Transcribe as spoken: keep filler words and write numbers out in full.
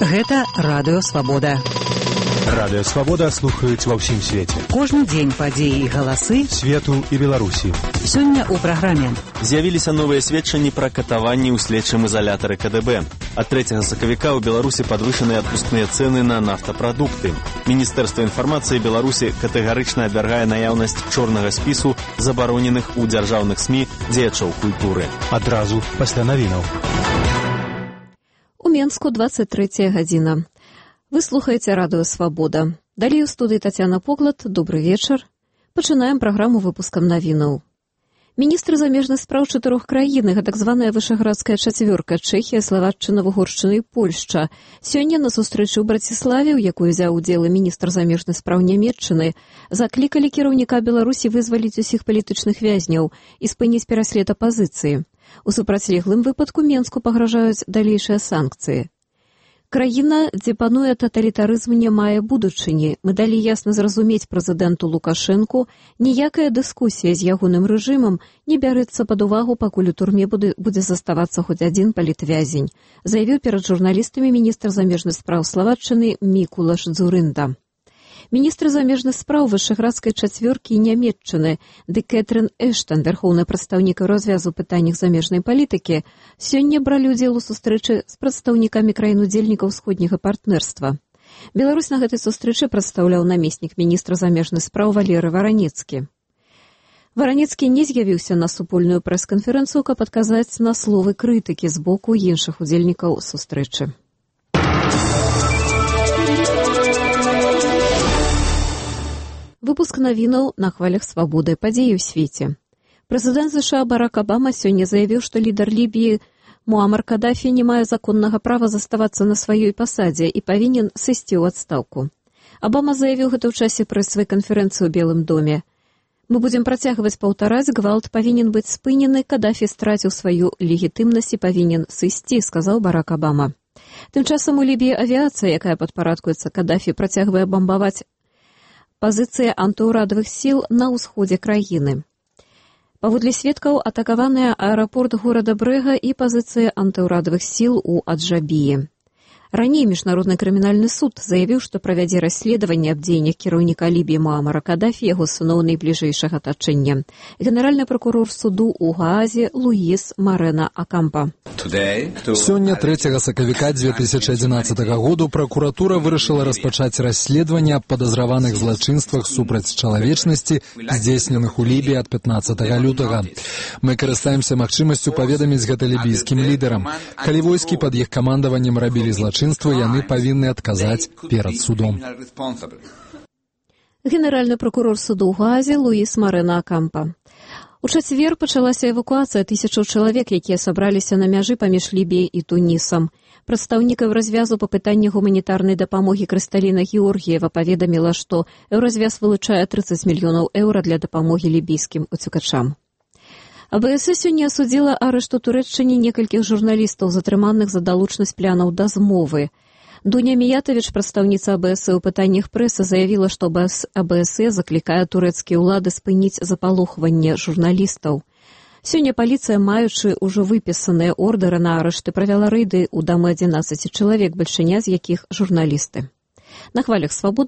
Гэта Радыё Свабода. Радыё Свабода слухаюць ва ўсім свеце. Кожны дзень падзеі і галасы свету і Беларусі. Сёння ў праграме. З'явіліся новыя сведчанні пра катаванні ў следчым ізалятары ка дэ бэ. Ад трэцяга сакавіка ў Беларусі падвышаныя адпускныя цэны на нафтапрадукты. Міністэрства інфармацыі Беларусі катэгарычна абвяргае наяўнасць чорнага спісу забароненых у дзяржаўных СМІ дзеячоў культуры. Адразу пасля навінаў. У Менску двадцать третья гадзіна. Вы слухаеце Радыё Свабода. Далей у студыі Тацяна Поклад. Добры вечар. Пачынаем праграму выпускам навінаў. Міністры замежных спраў чатырох краін, так званая вышаградская чацвёрка, Чэхія, Славаччына, Угоршчына і Польшча, сёння на сустрэчы ў Браціславе, у якой узяў удзел міністр замежных спраў Нямецчыны, заклікалі кіраўніка Беларусі вызваліць усіх палітычных вязняў і спыніць пераслед апазіцыі. У супрацьлеглым выпадку Менску пагражаюць далейшыя санкцыі. Краіна, дзе пануе таталітарызм, не мае будучыні. Мы далі ясна зразумець прэзідэнту Лукашэнку, ніякая дыскусія з ягоным рэжымам не бярэцца пад увагу, пакуль у турме будзе, будзе заставацца хоць адзін палітвязень, заявіў перад журналістамі міністр замежных спраў Славаччыны Мікулаш Дзурында. Міністр замежных спраў вышаградскай чацвёркі і Нямецчыны ды Кэтрын Эштан, вярхоўны прадстаўнік развязу пытаннях замежнай палітыкі, сёння бралі ўдзел у сустрэчы з прадстаўнікамі краін-удзельнікаў усходняга партнерства. Беларусь на гэтай сустрэчы прадстаўляў намеснік міністра замежных спраў Валеры Варанецкі. Варанецкі не з'явіўся на супольную прэс-канферэнцыю, каб адказаць на словы крытыкі з боку іншых удзельнікаў сустрэчы. Выпуск навінаў на хвалях свабоды, падзеі ў свеце. Прэзідэнт ЗША Барак Абама сёння заявіў, што лідар Лібіі Муамар Кадафі не мае законнага права заставацца на сваёй пасадзе і павінен сысці ў адстаўку. Абама заявіў гэта ў часе прэсавай канферэнцыі ў Белым доме. Мы будзем працягваць паўтараць, гвалт павінен быць спынены, Кадафі страціў сваю легітымнасць і павінен сысці, сказаў Барак Абама. Тым часам у Лібіі авіацыя, якая падпарадкуецца Кадафі, працягвае бамбаваць пазіцыя антыўрадавых сіл на ўсходзе краіны. Паводле сведкаў, атакаваныя аэрапорт горада Брэга і пазіцыя антыўрадавых сіл у Аджабіі. Раней Міжнародны крымінальны суд заявіў, што правядзе расследаванне аб дзеяннях кіраўніка Лібіі Муамара Кадафі і яго сыноў найбліжэйшага атачэння. Генеральны пракурор суду ў Гаазе Луіс Марена Акампа. Сёння трэцяга сакавіка дзве тысячы адзінаццатага году пракуратура вырашыла распачаць расследаванне аб падазраваных злачынствах супраць чалавечнасці, здзейсненых у Лібіі ад пятнаццатага лютага. Мы карыстаемся магчымасцю паведаміць гэта лібійскім лідарам. Калі войскі пад іх камандаваннем рабілі злачынства, яны павінны адказаць перад судом. Генеральны пракурор суду ў Гаазе Луіс Марена Акампа. У чацвер пачалася эвакуацыя тысячаў чалавек, якія сабраліся на мяжы паміж Лібіяй і Тунісам. Прадстаўнікаў развязу па пытанні гуманітарнай дапамогі Крысталіна Георгіева паведаміла, што Еўразвяз вылучае трыццаць мільёнаў еўра для дапамогі лібійскім уцекачам. АБС сёння асудзіла арышту Турэччыне некалькіх журналістаў, затрыманых за далучнасць плянаў да змовы. Дуня Міятавіч, прадстаўніца АБС у пытаннях прэсы, заявіла, што АБС заклікае турэцкія ўлады спыніць запалохванне журналістаў. Сёння паліцыя, маючы ўжо выпісаныя ордары на арышты, правяла рэйды ў дамы адзінаццаці чалавек, бальшыня з якіх журналісты. На хвалях свабоды